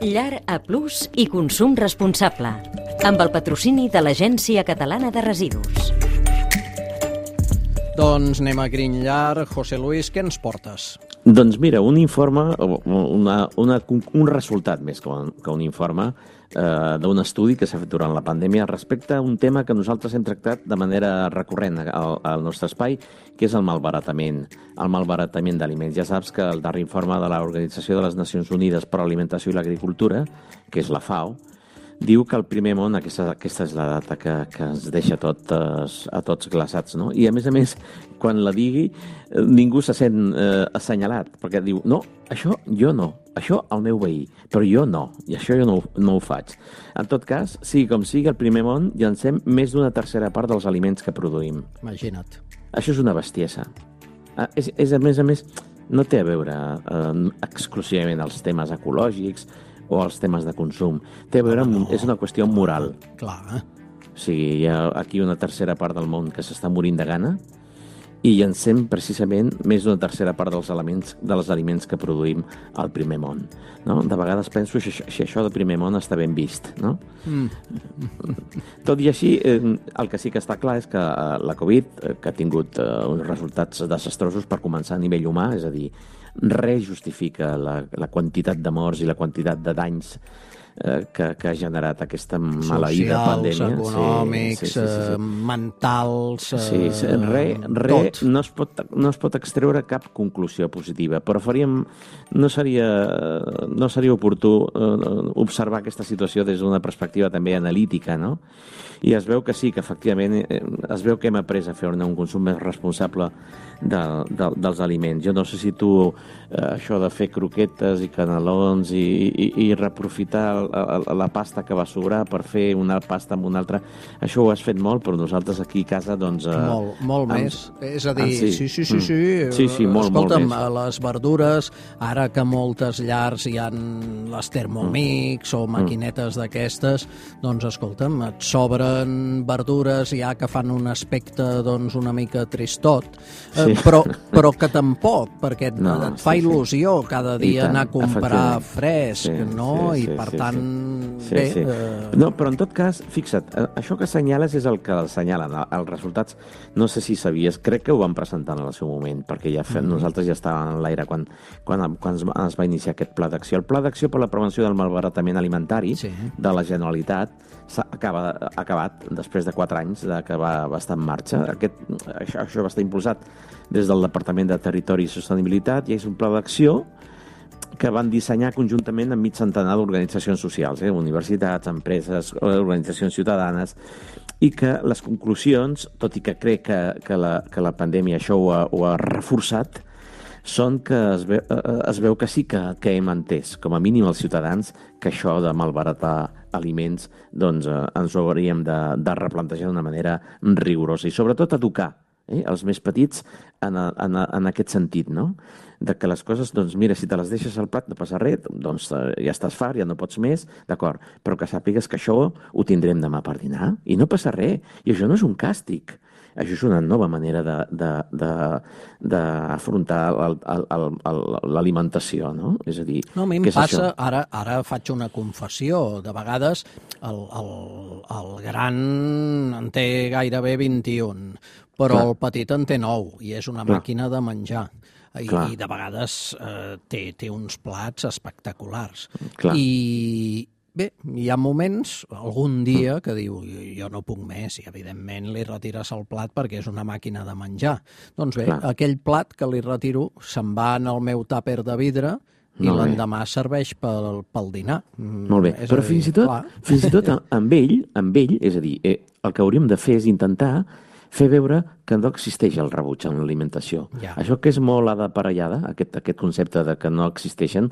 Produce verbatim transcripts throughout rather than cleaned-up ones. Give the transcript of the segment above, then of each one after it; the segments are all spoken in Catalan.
Llar A Plus i consum responsable, amb el patrocini de l'Agència Catalana de Residus. Doncs anem a Grinyllar. José Luis, què ens portes? Doncs mira, un informe, una, una, un resultat més que un, que un informe eh, d'un estudi que s'ha fet durant la pandèmia respecte a un tema que nosaltres hem tractat de manera recurrent al, al nostre espai, que és el malbaratament, el malbaratament d'aliments. Ja saps que el darrer informe de l'Organització de les Nacions Unides per a l'Alimentació i l'Agricultura, que és la FAO, diu que el primer món, aquesta, aquesta és la data que, que ens deixa totes, a tots glaçats, no? I a més a més, quan la digui, ningú se sent eh, assenyalat, perquè diu, no, això jo no, això el meu veí, però jo no, i això jo no, no ho faig. En tot cas, sigui com sigui, al primer món llancem més d'una tercera part dels aliments que produïm. Imagina't. Això és una bestiesa. Ah, és, és, a més a més, no té a veure eh, exclusivament els temes ecològics o els temes de consum. Té a veure amb... No. És una qüestió moral. Clar, eh? O sigui, hi ha aquí una tercera part del món que s'està morint de gana i llancem precisament més d'una tercera part dels aliments, dels aliments que produïm al primer món. No? De vegades penso si, si això del primer món està ben vist. No? Mm. Tot i així, eh, el que sí que està clar és que eh, la Covid, eh, que ha tingut eh, uns resultats desastrosos per començar a nivell humà, és a dir, res justifica la, la quantitat de morts i la quantitat de danys eh, que, que ha generat aquesta maleïda pandèmia. Socials, econòmics, sí, sí, sí, sí, sí. mentals... Eh, sí, sí, res re, no, es pot, no es pot extreure cap conclusió positiva, però faríem, no seria, no seria oportú eh, observar aquesta situació des d'una perspectiva també analítica, no? I es veu que sí, que efectivament eh, es veu que hem après a fer un consum més responsable de, de, dels aliments. Jo no sé si tu eh, això de fer croquetes i canelons i, i, i reaprofitar la, la pasta que va sobrar per fer una pasta amb una altra, això ho has fet molt, però nosaltres aquí a casa doncs... Eh, molt, molt amb, més. És a dir, sí, sí, sí, sí, sí. Mm. sí, sí molt, escolta'm, molt més. Les verdures, ara que moltes llars hi ha les Thermomix mm. o maquinetes mm. d'aquestes, doncs escolta'm, et sobren verdures ja que fan un aspecte doncs una mica tristot, sí. eh, però, però que tampoc, perquè et, no, et fa sí, il·lusió cada dia tant, anar a comprar fresc, sí, no? Sí, I per sí, tant, sí. bé... Sí, sí. Eh... No, però en tot cas, fixa't, això que assenyales és el que assenyalen, els resultats, no sé si sabies, crec que ho van presentar en el seu moment, perquè ja fe, mm. nosaltres ja estàvem en l'aire quan, quan, quan es, es va iniciar aquest pla d'acció. El pla d'acció per la prevenció del malbaratament alimentari sí. de la Generalitat s'ha acaba, acabat després de quatre anys de que va, va estar en marxa. Aquest, això, això va estar impulsat des del Departament de Territori i Sostenibilitat i és un pla d'acció que van dissenyar conjuntament amb mig centenar d'organitzacions socials, eh? universitats, empreses, organitzacions ciutadanes, i que les conclusions, tot i que crec que, que, la, que la pandèmia això ho ha, ho ha reforçat, són que es veu, es veu que sí que, que hem entès, com a mínim els ciutadans, que això de malbaratar aliments doncs, eh, ens ho hauríem de, de replantejar d'una manera rigorosa i sobretot educar eh, els més petits en, en, en aquest sentit, no? De que les coses, doncs mira, si te les deixes al plat no passa res, doncs ja estàs fart, ja no pots més, d'acord, però que sàpigues que això ho tindrem demà per dinar i no passa res, i això no és un càstig. Això és una nova manera d'afrontar l'alimentació, no? És a dir, no, a mi em passa, ara, ara faig una confessió, de vegades el, el, el gran en té gairebé vint-i-un, però Clar. el petit en té nou, i és una Clar. màquina de menjar. I, i de vegades eh, té, té uns plats espectaculars. Clar. I... Bé, hi ha moments, algun dia, que diu jo no puc més, i evidentment li retires el plat perquè és una màquina de menjar. Doncs bé, Clar. aquell plat que li retiro se'n va en el meu tàper de vidre i l'endemà serveix pel, pel dinar. Molt bé, és però dir, fins i tot, clar. fins i tot amb ell, amb ell, és a dir, eh, el que hauríem de fer és intentar fer veure que no existeix el rebuig en l'alimentació. Ja. Això que és molt aparellada, aquest, aquest concepte de que no existeixen,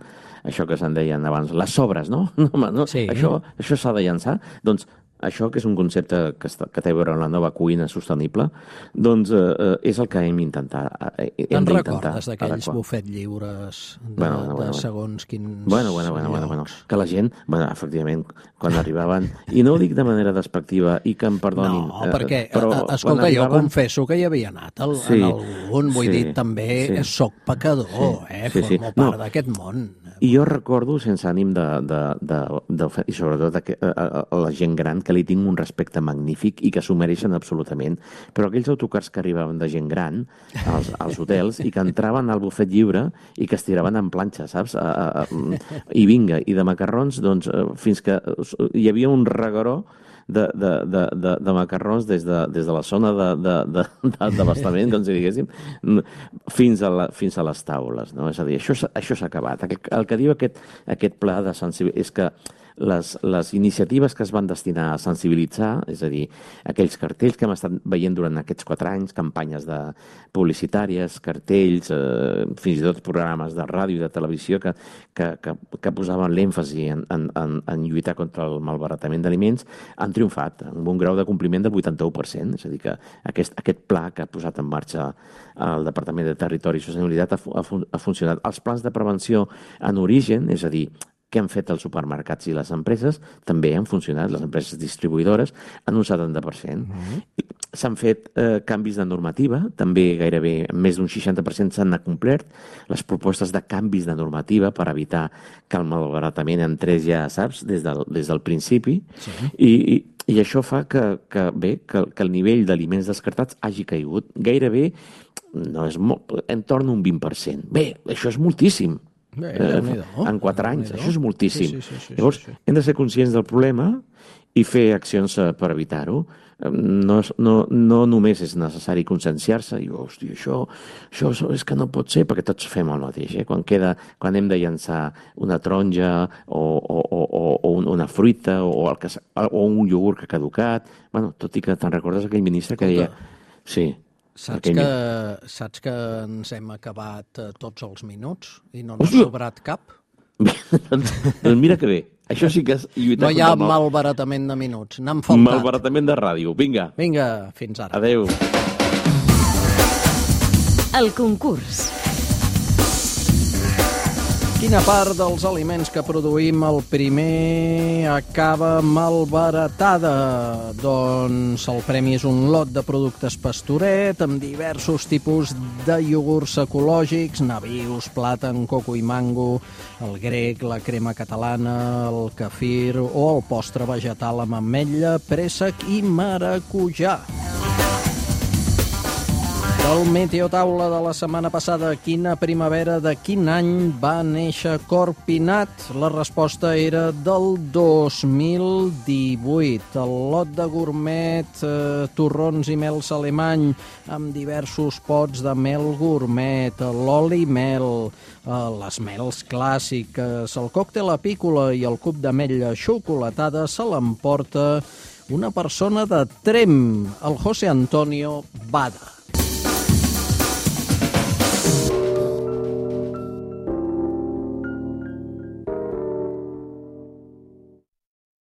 això que se'n deien abans, les sobres, no? no, no sí. Això, això s'ha de llançar. Doncs això, que és un concepte que, està, que té a veure amb la nova cuina sostenible, doncs eh, és el que hem d'intentar. Te'n recordes d'aquells bufet lliures de, bueno, bueno, bueno, de segons quins bueno, bueno, bueno, bueno, bueno. Que la gent, bueno, efectivament, quan arribaven, i no ho dic de manera despectiva, i que em perdonin... No, perquè, eh, però, escolta, arribaven... jo confesso que hi havia anat el, sí, en algun, vull sí, dir, també sí. soc pecador, sí, eh? Sí, Formo sí. part no. d'aquest món. I jo recordo, sense ànim de... de, de, de i sobretot a, a, a la gent gran, que li tinc un respecte magnífic i que s'ho mereixen absolutament, però aquells autocars que arribaven de gent gran als, als hotels i que entraven al bufet lliure i que es tiraven en planxa, saps? A, a, I vinga, i de macarrons, doncs, fins que hi havia un regueró de, de, de, de, de macarrons des de, des de la zona d'abastament, com si diguéssim, fins a, la, fins a les taules, no? És a dir, això, això s'ha acabat. El que diu aquest, aquest pla de sensibilitat és que les, les iniciatives que es van destinar a sensibilitzar, és a dir, aquells cartells que hem estat veient durant aquests quatre anys, campanyes de publicitàries, cartells, eh, fins i tot programes de ràdio i de televisió que, que, que, que posaven l'èmfasi en, en, en, en lluitar contra el malbaratament d'aliments, han triomfat amb un grau de compliment del vuitanta-u per cent. És a dir, que aquest, aquest pla que ha posat en marxa el Departament de Territori i Sostenibilitat ha, ha, ha funcionat. Els plans de prevenció en origen, és a dir, que han fet els supermercats i les empreses, també han funcionat. Les empreses distribuïdores en un setanta per cent. Mm-hmm. S'han fet eh, canvis de normativa, també gairebé més d'un seixanta per cent s'han acomplert les propostes de canvis de normativa per evitar que el malbaratament entrés ja, saps, des del, des del principi. Sí. I, i, i això fa que, que, bé, que, que el nivell d'aliments descartats hagi caigut gairebé, no és molt, entorn a un vint per cent. Bé, això és moltíssim. Bé, eh, en quatre anys, això és moltíssim. Sí, sí, sí, sí, Llavors, sí, sí. hem de ser conscients del problema i fer accions per evitar-ho. No, no, no només és necessari conscienciar-se i, hòstia, això, això és que no pot ser, perquè tots fem el mateix. Eh? Quan, queda, quan hem de llançar una taronja o, o, o, o una fruita o, el que, o un iogurt que ha caducat, bueno, tot i que te'n recordes aquell ministre que deia... Sí, Saps que, saps que ens hem acabat eh, tots els minuts i no n'ha sobrat cap? doncs, doncs mira que bé. Això sí que és lluitar no hi ha contra el mal. Malbaratament de minuts. N'han faltat. Malbaratament de ràdio. Vinga. Vinga, fins ara. Adéu. El concurs. Quina part dels aliments que produïm el primer acaba malbaratada? Doncs el premi és un lot de productes Pastoret amb diversos tipus de iogurts ecològics, nabius, plàtan, coco i mango, el grec, la crema catalana, el kefir o el postre vegetal amb ametlla, préssec i maracujà. Del Meteotaula de la setmana passada, quina primavera de quin any va néixer Corpinat? La resposta era del dos mil divuit. El lot de gourmet, eh, torrons i mels alemany, amb diversos pots de mel gourmet, l'oli mel, eh, les mels clàssiques, el còctel apícola i el cub d'ametlla xocolatada se l'emporta una persona de Tremp, el José Antonio Bada.